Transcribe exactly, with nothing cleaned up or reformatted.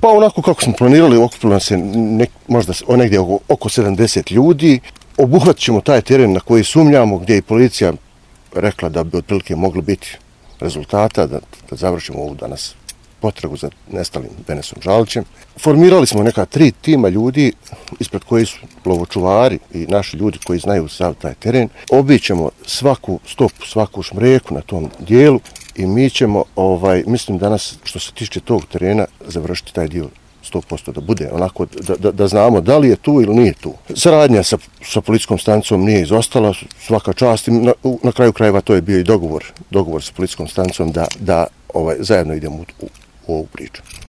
Pa onako kako smo planirali, okupilo nas je nek, možda negdje oko, oko sedamdeset ljudi. Obuhvatit ćemo taj teren na koji sumnjamo, gdje je policija rekla da bi otprilike moglo biti rezultata, da, da završimo ovu danas potragu za nestalim Denesom Žalićem. Formirali smo neka tri tima ljudi, ispred koji su lovočuvari i naši ljudi koji znaju sav taj teren. Obićemo svaku stopu, svaku šmreku na tom dijelu i mi ćemo, ovaj, mislim danas, što se tiče tog terena, završiti taj dio sto posto da bude onako, da, da, da znamo da li je tu ili nije tu. Saradnja sa, sa policijskom stanicom nije izostala, svaka čast. Na, na kraju krajeva to je bio i dogovor, dogovor sa policijskom stanicom da, da ovaj, zajedno idemo u, u ovu priču.